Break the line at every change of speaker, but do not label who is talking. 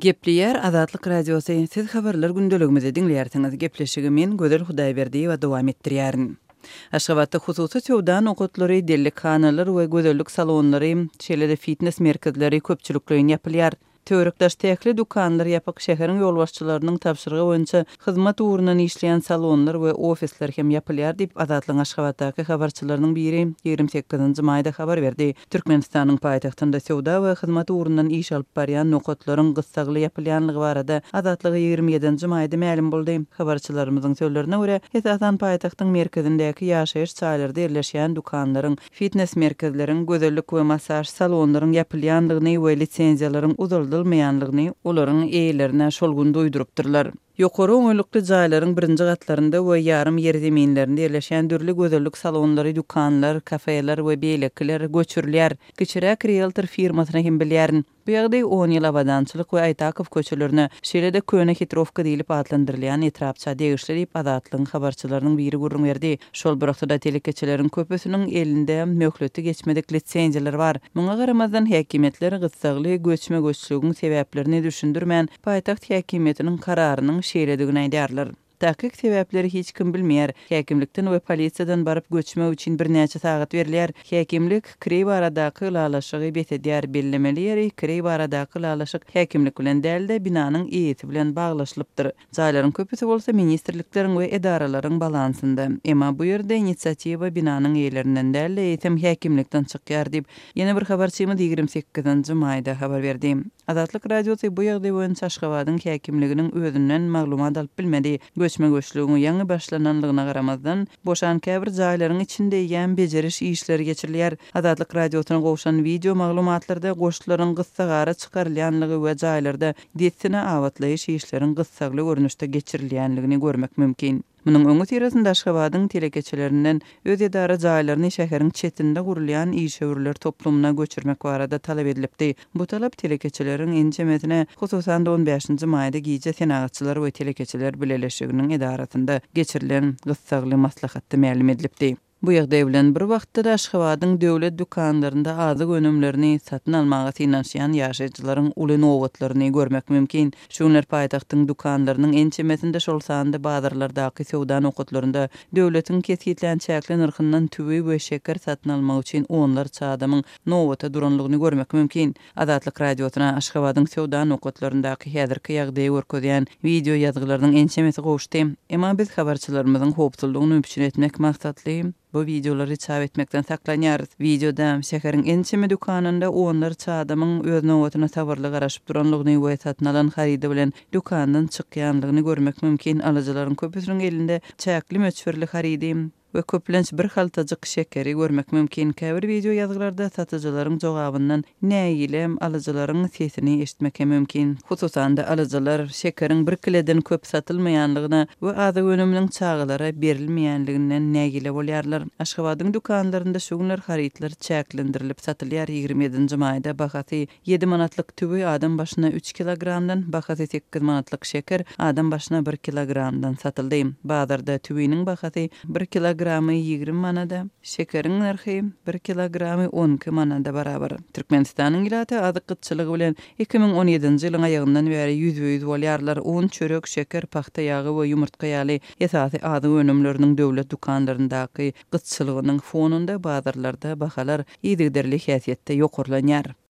Gepleýär Azatlyk Radiosy, Siz Habarlar gündeligimizi diňleýärsiňiz. Gepleşigi men, Gözel Hudaýberdiýewa dowam etdirýärin. Aşgabatda hususy söwda nokatlary, dellekhanalar we gözellik salonlary, şeýle-de fitnes merkezleri köpçülikleýin ýapylýar. Töwerek-daşda ähli dükanlar ýapyk, şäheriň ýolbaşçylarynyň tabşyrygy boýunça hyzmat ugrundan işleýän salonlar we ofisler hem ýapylýar diýip, Azatlygyň Aşgabatdaky habarçylarynyň biri 28 nji maýda habar berdi. Türkmenistanyň paýtagtynda söwda we hyzmat ugrundan iş alyp barýan nokatlaryň gyssagly ýapylýanlygy barada Azatlyga 27 nji maýda mälim boldy. Habarçylarymyzyň sözlerine görä, esasan paýtagtyň merkezindäki ýaşaýyş jaýlarda ýerleşýän dükanlaryň, fitnes merkezleriň, gözellik we massaž salonlaryň ýapylýanlygyny we lisenziýalaryň uzaldylmaýanlygyny olaryň eýelerine şol gün duýdurypdyrlar. Ýokary oňaýlykly jaýlaryň birinji gatlarynda we ýarym ýerzeminlerinde ýerleşýän dürli gözellik salonlary, dükanlar, kafeler we beýlekiler göçürilýär. Kiçiräk rieltor firmasyny hem bilýärin. Bu ýagdaý on ýyl Abadançylyk we Aýtakow köçelerine, şeýle-de Köne Hitrowka diýlip atlandyrylýan etrapça degişli diýip, Azatlygyň habarçylarynyň biri gürrüň berdi. Şol bir wagtda-da telekeçileriň köpüsiniň elinde möhleti geçmedik lisenziýalar bar. Muňa garamazdan, häkimiýetler gyssagly göçme-göçlügiň sebäplerini düşündirmän, paýtagt häkimiýetiniň kararynyň şeýledigini aýdýarlar. Takyk sebäpleri hiç kim bilmeýär. Häkimlikden we polisiýadan baryp göçmek üçin birnäçe sagat berilýär. Häkimlik kireý baradaky ylalaşygy bes edýär. Bellemeli ýeri, kireý baradaky ylalaşyk häkimlik bilen däl-de, binanyň eýesi bilen baglaşylypdyr. Jaýlaryň köpüsi bolsa ministrlikleriň we edaralaryň balansynda. Emma bu ýerde inisiatiwa binanyň eýelerinden däl-de, eýsem häkimlikden çykýar diýip, ýene bir habarçymyz 28 nji maýda habar berdi. Azatlyk Radiosy bu ýagdaý boýunça Aşgabadyň häkimliginiň özünden maglumat alyp bilmedi. Göçme-göçlügiň ýaňy başlananlygyna garamazdan, boşan käbir jaýlaryň içinde eýýäm bejeriş işleri geçirilýär. Azatlyk Radiosyna gowşan wideo maglumatlarda goşlaryň gyssagara çykarylýanlygy we jaýlarda dessine abatlaýyş işleriň gyssagly görnüşde geçirilýänligini görmek mümkin. Munuň öňüsyrasynda Aşgabadyň telekeçilerinden öz edara jaýlaryny şäheriň çetinde gurulýan işewürler toplumyna göçürmek barada talap edilipdi. Bu talap telekeçileriň ençemesine, hususan-da on bäşinji maýda gije Senagatçylar we telekeçiler bileleşiginiň edarasynda geçirilen gyssagly maslahatda mälim edilipdi. Bu ýagdaý bilen bir wagtda-da Aşgabadyň döwlet dükanlarynda azyk önümlerini satyn almaga synanyşýan ýaşaýjylaryň uly nobatlaryny görmek mümkin. Şu günler paýtagtyň dükanlarynyň ençemesinde, şol sanda bazarlardaky söwda nokatlarynda döwletiň kesgitlän çäkli nyrhyndan tüwi we şeker satyn almak üçin onlarça adamyň nobata duranlygyny görmek mümkin. Azatlyk Radiosyna Aşgabadyň söwda nokatlaryndaky häzirki ýagdaýy görkezýän wideo ýazgylarynyň ençemesi gowuşdy. Emma biz habarçylarymyzyň howpsuzlygyny üpjün etmek maksatly bu wideolary çap etmekden saklanýarys. Wideoda şäheriň ençeme dükanynda onlarça adamyň öz nobatyna sabyrly garaşyp duranlygyny we satyn alan harydy bilen dükandan çykýanlygyny görmek mümkin. Alyjylaryň köpüsiniň elinde çäkli möçberli harydy we köplenç bir haltajyk şekeri görmek mümkin. Käbir wideo ýazgylarda satyjylaryň jogabyndan nägile alyjylaryň sesini eşitmek hem mümkin. Hususan-da, alyjylar şekeriň bir kileden köp satylmaýanlygyna we azyk önüminiň çagalara berilmeýänliginden nägile bolýarlar. Aşgabadyň dükanlarynda şu günler harytlar çäklendirilip satylýar, 27 nji maýda bahasy Ýedi manatlyk tüwi adam başyna üç kilogramdan, bahasy sekiz manatlyk şeker adam başyna bir kilogramdan satyldy. Bazarda tüwiniň bahasy bir kilogramy 20 manada, şekeriň nyrhy bir kilogramy 12 manada barabar. Türkmenistanyň ilaty azyk gytçylygy bilen 2017-nji ýylyň aýagyndan bäri ýüzbe-ýüz bolýarlar. Un, çörek, şeker, pagta ýagy we ýumurtga ýaly esasy azyk önümleriniň döwlet dükanlaryndaky gytçylygynyň fonunda bazarlarda bahalar yzygiderli häsiýetde ýokarlanýar.